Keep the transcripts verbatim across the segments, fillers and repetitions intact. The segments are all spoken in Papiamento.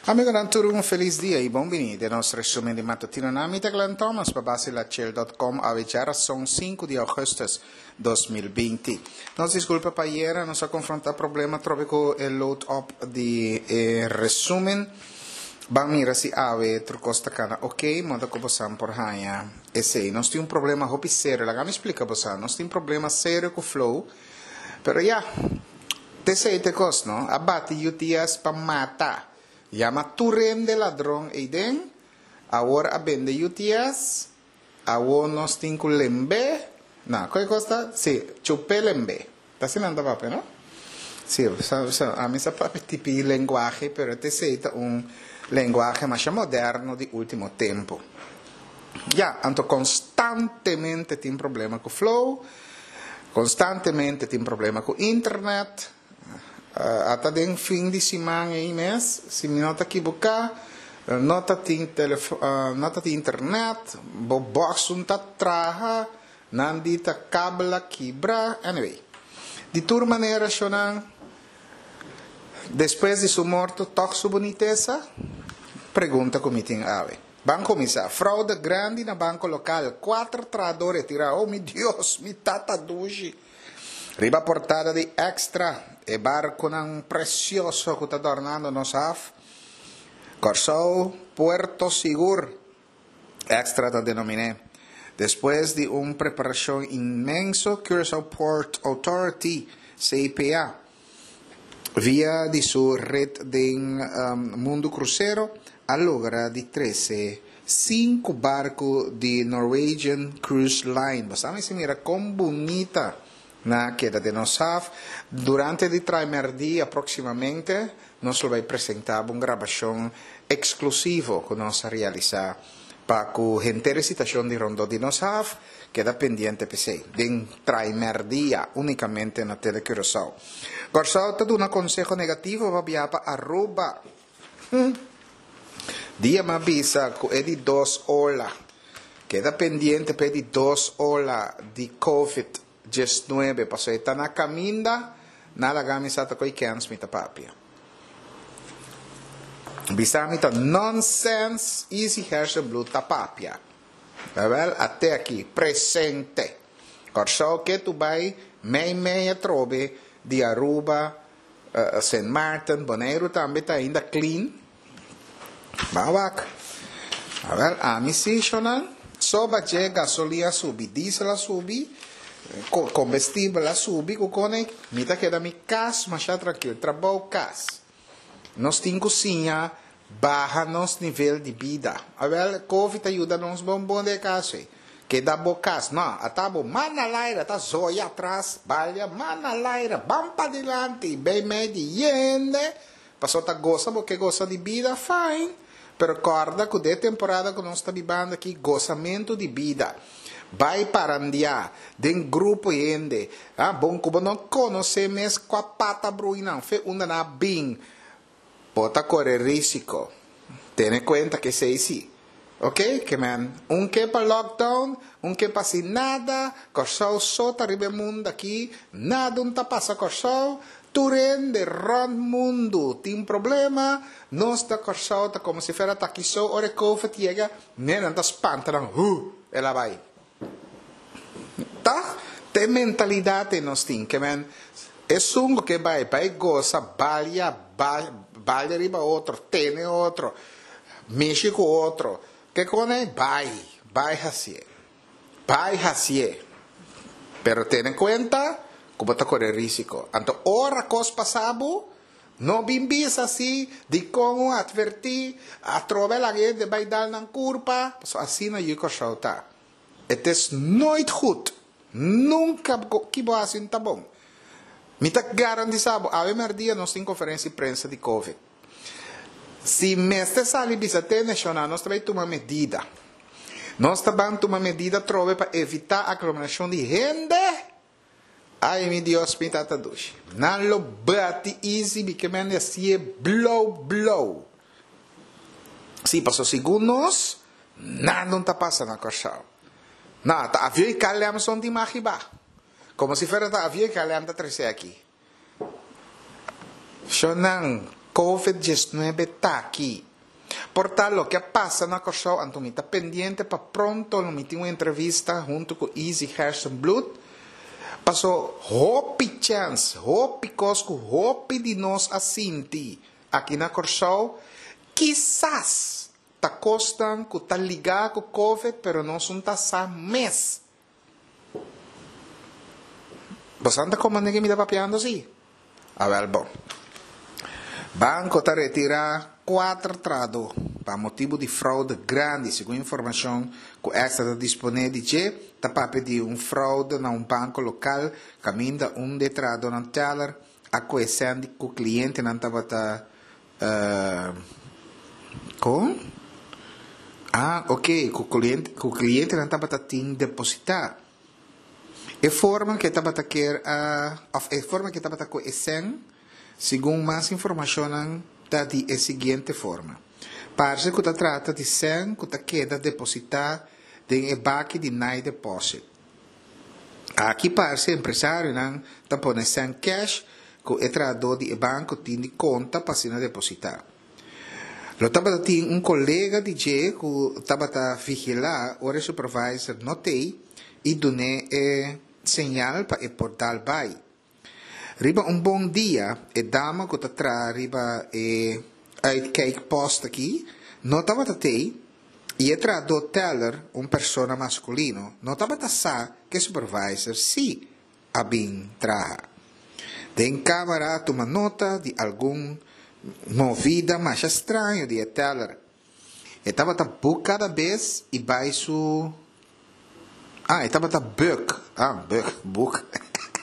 Amigonan tur un felis dia y bon bini den nos resumen di matutino. Na mi ta Glenn Thomas pa basilachel dot com awe djarason sinku di augustus dos mil binti. Nos disculpa pa ayera nos a confronta problema trobe cu e load up di e resumen. Ban mira si awe tur cos ta cana ok, moda cu bosan por haña esey. Nos tin un problema hopi serio, laga mi splica bosan. Nos tin problema serio cu Flow, pero ya, t'esey t'e cos, no? A bati U T S pa mata. Yama tur hende ladron eyden, awor a bende U T S, awor nos tin cu lembe, na, koe cos ta? Si, chupe lembe. Ta asina nan ta papia, no? Si, sa, sa, a mi sa papia tipi lenguaje, pero t'esey ta un lenguaje masha moderno di ultimo tempo. Ya, anto constantemente tin problema cu Flow, constantemente tin problema cu internet. Eh, ata den fin di siman ei mes, si mi no ta equivoca, no ta tin telefo-, eh, no ta tin internet, bo box un ta traha, nan di ta kabla kibra, anyway. Di tur manera, shonan, despues di su morto, toch su boniteza? Pregunta ku mi tin awe. Ban comisa, fraude grandi na banco local, cuatro trahadores tira, oh mi Dios, mi tata dushi. Riba portada di Extra, e barconan precioso ku ta adornando nos haf. Kòrsou, Puerto Sigur, Extra ta denominé. Despues di un preparacion inmenso, Curaçao Port Authority, C P A, via di su red den, um, mundo crucero, a logra di trece cinco barco di Norwegian Cruise Line. Basta mi mira con bonita na queda de nos haf. Durante di Traimerdia próximamente nos lo vai presentar un grabación exclusivo que nos realiza pa cu gente recitación di Rondo di nos haf. Queda pendiente P C. Den Traimerdia únicamente na Tele Curaçao. Curaçao te duna consejo negativo pa via pa Aruba. Hmm. Dia ma bisa cu e di dos ola. Queda pendiente pe di dos ola di COVID diecinuebe. Paso eta na caminda, nada gami sata koi kens mita papia. Bisa mita nonsense, easy hersen blue tapapia. Wel, até aqui, presente. Kòrsou ke tu bai, mei mei atrobe, di Aruba, eh, Saint Martin, Bonaire tambe ta ainda clean. Bawak. Awel, ami si, shonan. Soba che gasolina subi, diesel a subi, co-, combustible a subi, kukone, mita queda mi cas, masha tranquilo, trabou cas. Nos tin cozinha, baja nos nivel de vida. Awel, COVID ajuda nos bombom de casa. Queda bocas, no, atabo mana laira, ta zoia atrás, balha, mana laira, bampa dilante, bem medi, yende. Passou ta goza, porque goza de vida, fine. Pero corda que de temporada que nós está vivendo aqui, gozamento de vida. Vai parandiar, den grupo yende. Ah, bom, como não conhece mes com a pata bruina, fe una na bing. Bota correr risco. Ten en cuenta que sei sí. Ok, que man, un que pa lockdown, un que pa sin nada, Kòrsou sota ribe mundo aqui, nada un ta pasa Kòrsou, turen de rond mundo, tin problema, nos ta Kòrsou ta como si fuera ta aquí so, ore COVID llega, nena ta espanta, nan, hu, ela vai. Ta, te mentalidad nos tin, que man, es un que vai, vai goza, balia, ba, balia riba otro, tene otro, mishi ku otro. Que cone? Vai, vai hacie. Vai hacie. Pero ten en cuenta como te corre risco. Anto ora cos pasabo, no bimbis así, di como advertí, a trove la gente vai dar nan curpa, so así no yuko shauta. Het is nooit goed. Nunca go-, kibo así ta bom. Mi ta garantizabo, ave merdia nos tin conferencia de prensa de COVID. Si meste sali bisa te nacional, nós também toma medida. Nós também toma medida trove para evitar aglomeração de gente. Ai, mi Dios, mi tata dushi. Nan lo bati easy, bi que men así blow, blow. Si, pasó segundos, nada no ta pasa na Kòrsou. Na, ta avião e K L M son de Magiba. Como si fuera ta avião e K L M ta trece aqui. Shonan, Covid diesnuebe t'aki. Por ta loke a pasa na Kòrsou, anto mi ta pendiente pa pronto lo mi tin un entrevista huntu ku Izzy Gerstenbluth, paso hopi chèns, hopi kos ku hopi di nos a sinti aki na Kòrsou, kisas ta kosnan ku ta ligá ku Covid, pero nos no ta sa mes. Boso ta komprondé ke mi ta papiando si? Awèl bon. Banko ta retirá kuater trahadó pa motibu di froude grandi. Segun informashon ku Extra ta disponé di dje, ta papia di un froude na un banko lokal kaminda un di e trahadónan teller a kohe sèn di ku klientenan tabata kon? Ah, oke, ku ku klientenan tabata tin depositá. E forma ku e tabata kier a òf e forma ku e tabata kohe e sèn, segun mas informashonnan ta di e siguiente forma. Parse ku ta trata di sèn ku ta keda depositá den e baki di night deposit. Aki parse empresarionan ta pone sèn kèsh ku e trahadó di e banko tin di konta pa asina depositá. Lo tabata tin un kolega di dje ku tabata vigilá ora e supervisor no t'ei i dun'é e señal pa e por dal bai. Riba un bon dia e dama ku ta traha riba e uitkijkpost aki no tabata t'ei i e trahadó teller, un persona maskulino, no tabata sa ku e supervisor sí a bin traha. Den kamera a tuma nota di algun movida masha straño di e teller. E tabata buk kada bes i bai su. Ah, e tabata buk. Ah, buk, buk.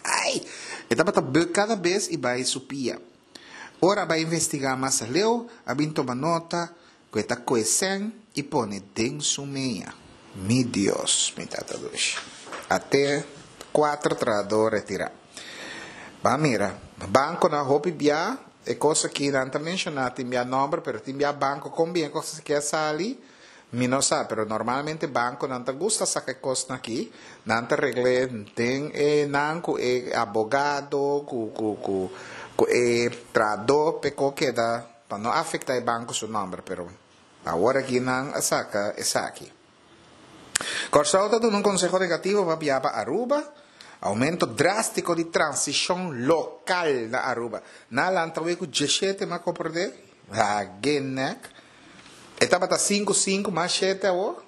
Ai! E tabata buk kada bes i bai su pia. Ora a bai investigá mas aleu, a bin tuma nota ku e ta kohe sèn i pone den su mea. Mi Dios, mi tata dushi. Ate kuater trahadó retirá. Ban mira, bankonan hopi bia e kos aki nan ta menshoná, tin bia nòmber, pero tin bia banko kon bien e kos aki a sali, mi no sa, pero normalmente bankonan ta gusta saka e kosnan aki, nan ta regl'é den e nan ku e abogado, ku ku ku ku e trahadó p'e ko keda pa no afektá e banko su nòmber, pero awor aki nan a saka esaki. Kòrsou ta duna un konseho negativo pa bia pa Aruba, Oumento drástiko di transishon lokal na Aruba. Nan a lanta wei ku djeshete m'a komprondé. Hagenek. E tabata sinku sinku mas shete awor.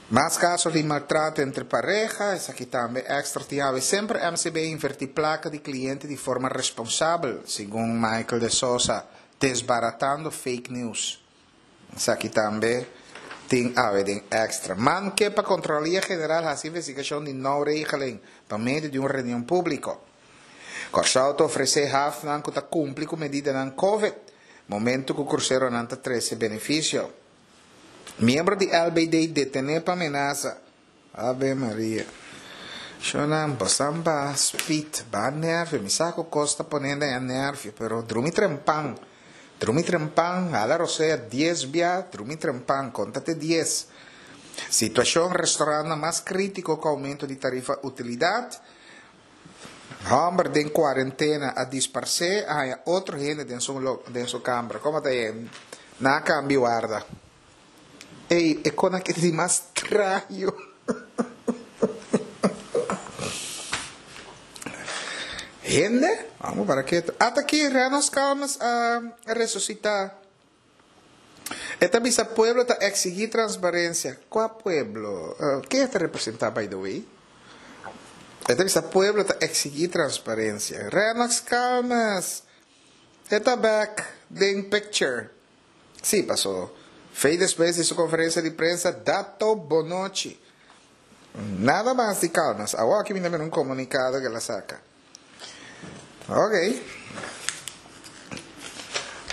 Mas kaso di maltrato entre pareha, esaki tambe Extra tin awe. Semper M C B a invertí plaka di kliente di forma responsabel, segun Michael de Sosa, desbaratando fake news. Esaki tambe tin awe den Extra. Man ke pa Kontrolaria General hasi investigashon di now-regeling pa medio di un reunion públiko. Kòrsou ta ofresé hafnan ku ta kumpli ku medidanan Covid, momentu ku kruseronan ta trese benefisio. Miembro di L B D detené pa menasa. Ave Maria. Shonan, bosan ba speed, ba nervio. Mi sa ku kos ta pone den nervio, pero drumi trempan. Drumi trempan, hala rosea dies bia, drumi trempan, konta te dies. Situashon restaurant mas krítiko ku oumento di tarifa utilidat. Hòmber den kuarentena a disparsé, a haña otro hende den su, den su kamber. Kon ta ei? Nan a kambia warda. Ei, e kos aki di mas straño. Hende? Vamos para ketu. Ata aki Rennox Calmes a resusitá. E ta bisa pueblo ta eksigí transparensia. Kua pueblo? Ken e ta representá by the way? E ta bisa pueblo ta eksigí transparensia. Rennox Calmes e ta back den picture. Sí, pasó fei despues di su konferensia di prensa Dato Bonochi. Nada mas di Calmes. Awor aki mi ta mira un komunikado ku el a saka. Ok.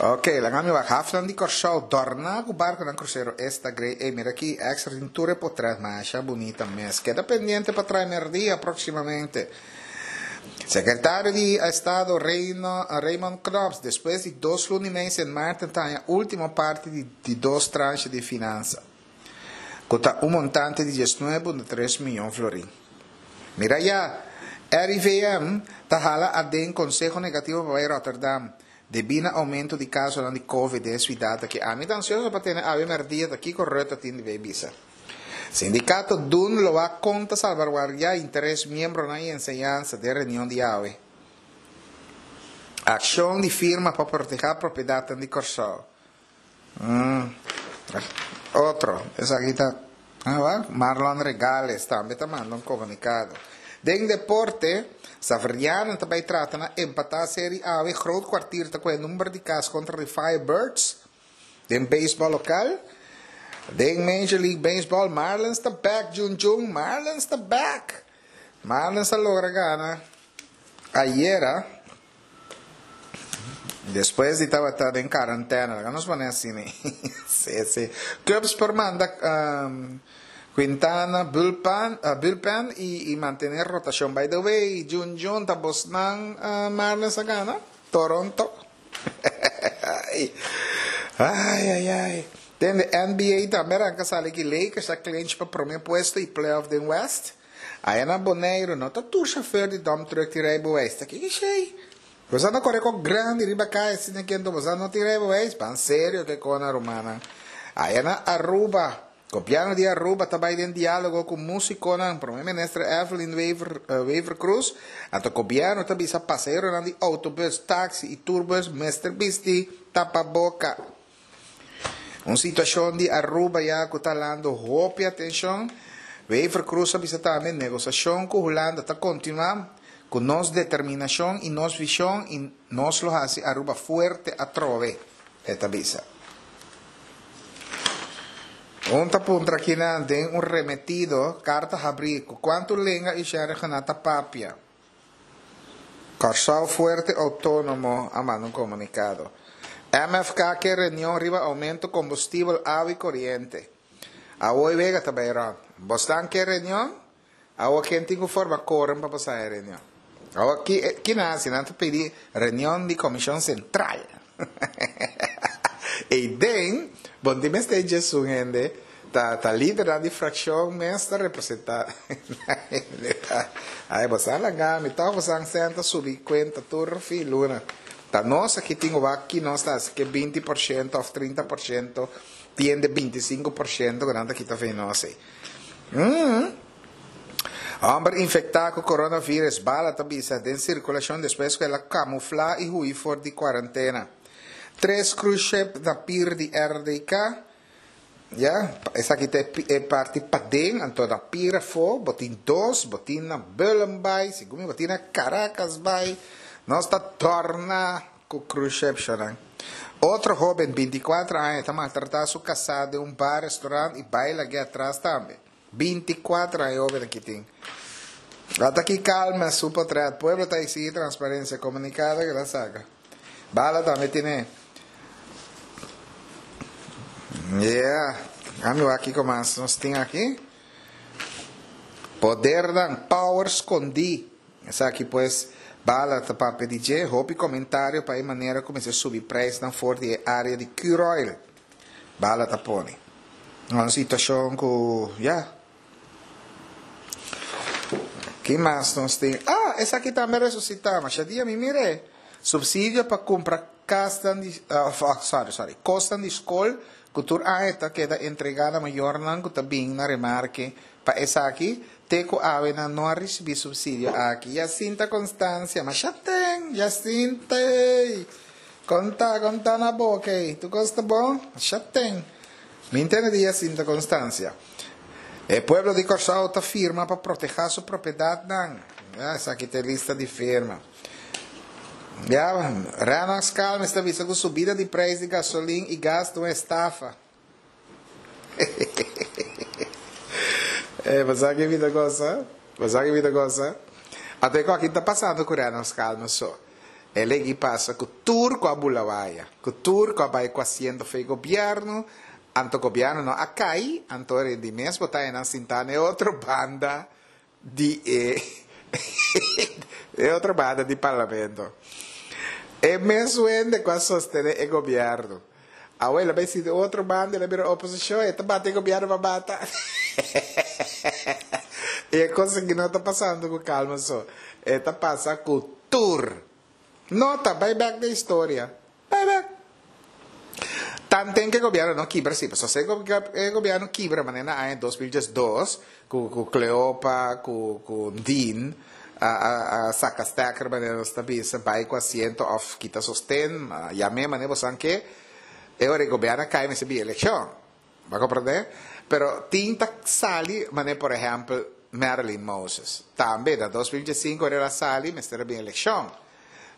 Ok, laga mi wak hafnan di Kòrsou dòrná ku barkunan krusero esta grei. Ey, mira aki Extra tin tur e potret masha bunita mes. Keda pendiente pa trae merdia próksimamente. Sekretario di Estado Reino, Raymond Knops despues di dos luna i mei Sint Maarten ta haña último parti di di dos tranche di finansa, ku ta un montante di diesnuebe punto tres mion florin. Mira ya, R I V M ta hala aden konseho negativo pa bai Rotterdam. Debí na oumento di kasonan di Covid den e siudat aki, ami ta ansioso pa tene awe mèrdia ta kiko Rutte tin di bay bisa. Sindikato D U N lo a konta salbaguardiá interes miembronan i enseñansa den reunion di awe. Akshon di firma pa protehá propiedatnan di Kòrsou. Mm. Otro, esaki ta ah, Marlon Regales tambe ta manda un komunikado. Den deporte, Xaverianen ta bai trata na empatá seri awe. Groot Kwartier ta ku e number di kas kontra di Firebirds. Den beisbòl lokal, den Major League Baseball, Marlins ta back, Jun Jun. Marlins ta back. Marlins a logra gana ayera despues di tabata den karantena. Laga nos pone asina. Sí, sí. Cubs por manda um, Quintana, bullpen, uh, bullpen i, i mantené rotashon. By the way, Jun Jun, ta bosnan uh, Marlins a gana? Toronto. Ai, ai, ai. Den de N B A tambe a sali ku Lakers a clinch pa promé puesto i playoff den West. Aya na Boneiru, no ta tur chauffeur di dump truck tin rijbewijs. Ta kiko esei? Bo no kore ku grandi riba kaya asina ku bo no tin rijbewijs. Ban serio ku kona romana. Aya na Aruba, gobièrnu di Aruba tambe den diálogo ku músikonan, promé minister Evelyn Wever, uh, Wever Croes, anto gobièrnu tambe sa pasaheronan di outobusu, taksi i tourbus, mester bisti tapaboka. Un situashon di Aruba ya ku ta halando hopi atenshon. Wever Croes a bisa tambe negosiashon ku Hulanda ta kontinuá ku nos determinashon i nos vishon i nos lo hasi Aruba fuerte atrobe. E ta bisa. Un ta puntra aki na den un remetido, karta habrí, kuantu lenga Ishara ta papia. Kòrsou Fuerte Outónomo a manda un komunikado. M F K ke reunion riba oumento kombustibel, awa i koriente. Awor wega tambe rònt. Bo ke reunion? Awor ken tin ku forma quorum pa pasa e reunion? Awor ki ki nasi, nan ta pidi reunion di komishon sentral. I den, bon, di mester un hende, ta ta lider di frakshon mes ta representá. Ai, bo laga, mi ta bo senta subi kuenta tur fi luna. Ta nos aki tin aki nos ta ku binti porshento òf trinta porshento, tiende bintisinku porshento ku nan ta kita fe nos. Mm. Hòmber infektá ku coronavirus, bala ta bisa den sirkulashon despues ku el a kamuflá i hui for di kuarentena. Tres cruise ship na pier di R D K. Ja, esaki ta e parti paden, anto na pier afó, bo tin dos, bo tin na Bullenbaai, segun bo tin na Caracas Bay. Nos ta torna ku cruise ship shonan. Otro hóben, bintikuater aña, ta maltratá su kasá den un bar, restaurant i baila aki atras tambe. bintikuater aña hóben aki tin. Ata aki Calmes su portrèt. Pueblo ta eksigí transparensia. Komunikado ku el a saka. Bala tambe tin. Yeah. Ami aki kon mas nos tin aki. Poder dan power skondí. Esaki pues bala ta papia di dje, hopi komentario pa e manera ku mester subi preis na for di área di Curoil. Bala ta pone. Un situashon ku, ja. Ki mas nos tin? Ah, esaki tambe resusitá. Mas dia mi mire. Supsidio pa kumpra kas di, uh, sorry, sorry, kos di skol, ku tur aña ta keda entregá na mayornan ku ta bin na remarke pa esaki, te ku awe nan no a risibí supsidio aki. Jacinta Constancia, mas ya tin, Jacinta, konta, konta na boka, tur kos ta bon? Ya tin. Mi entendé di Jacinta Constancia. E pueblo di Kòrsou ta firma pa protehá su propiedatnan. Ah, esaki ta lista di firma. Ja, Rennox Calmes ta bisa ku subida di preis di gasolin i gas ta un estafa. eh, mas ki bida gosa? Mas ki bida gosa? Ate ku aki ta pasando ku Rennox Calmes so. El a pasa ku tur ku a bula waya, ku tur ku a bai ku asiento fo'i gobièrnu, anto gobièrnu no a kai, anto di mes bo ta nan sintá na otro banda di e, e otro banda di parlamento. E mes hende ku a sostené e gobièrnu. Awor el a bai sinta otro banda, el a bira oposishon, e ta bati gobièrnu pa bata. E kos ku no ta pasando ku Calmes so. E ta pasa ku tur. Nota, bai back di historia. Tanten ku gobièrnu no kibra, sí, pasobra si e gobièrnu kibra, manera na aña dos mil diesdos, ku ku Cleopa, ku ku Dean, a a a saka stekker, manera nos ta bisa, bai ku asiento òf kita sosten, yam'é manera boso ke, e ora e gobièrnu a kai mester bin elekshon. Bo a komprondé? Pero tin ta sali, manera por ehèmpel Marilyn Moses. Tambe na dos mil diesinku ora el a sali mester a bin elekshon.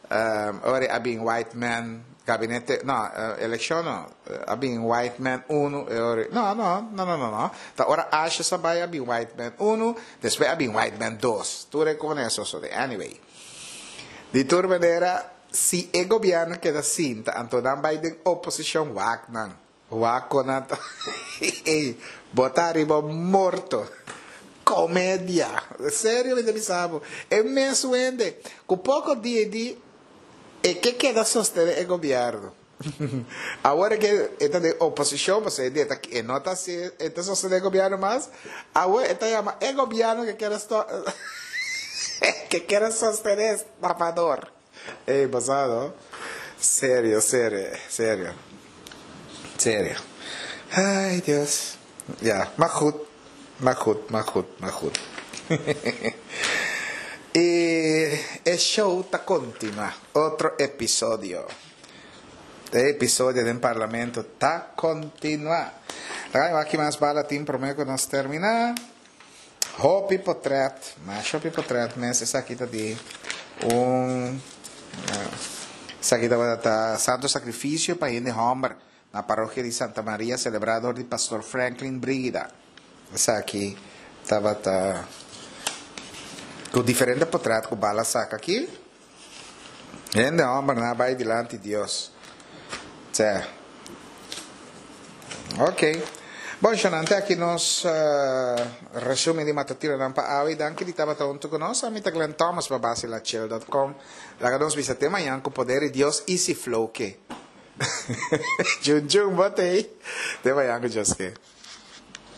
Um, ora a bin Whiteman gabinete, no, elekshon no, a bin Whiteman uno, e ora, no, no, no, no, no, no. Ta ora Asjes a bai a bin Whiteman uno, despues a bin Whiteman dos. Tur e kon eso so de. Anyway. Di tur manera, si e gobièrnu keda sinta, anto nan bai den oposishon, wak nan. Wak kon nan ta. Ey, bo ta riba morto. Komedia. Serio mi ta bisa bo. E mes wende ku poko dia e di e ke keda sostené e gobièrnu. Awor e ke e ta den oposishon pasobra e di e ta e no ta hasi e ta sostené e gobièrnu mas. Awor e ta yama e gobièrnu ke kere ke kere sostené estafador. Ey bo sa no? Serio, serio, serio. Serio. Ay Dios. Ja, maar goed. Maar goed, maar goed, maar goed. E e show ta kontinuá. Otro episodio. E episodio den Parlamento ta kontinuá. Laga aki mas bala tin promé ku nos terminá. Hopi potret, mas hopi potret mes. Esaki ta di un esaki tabata Santo Sakrifisio pa hende hòmber na Parokia di Santa Maria selebrá dor di Pastor Franklin Brigida. Esaki tabata ku diferente potret ku bala saka aki. Hende hòmber nan a bai dilanti Dios. Tse. Ok. Bon, shonante aki nos resumen di matutinonan pa awe. Danki di tabata huntu ku nos. Ami ta Glenn Thomas pa Basilachel dot com. Laga nos bisa te mañan ku poder di Dios i si flow ke. Djun djun bo t'ei. Te mañan ku Dios ke.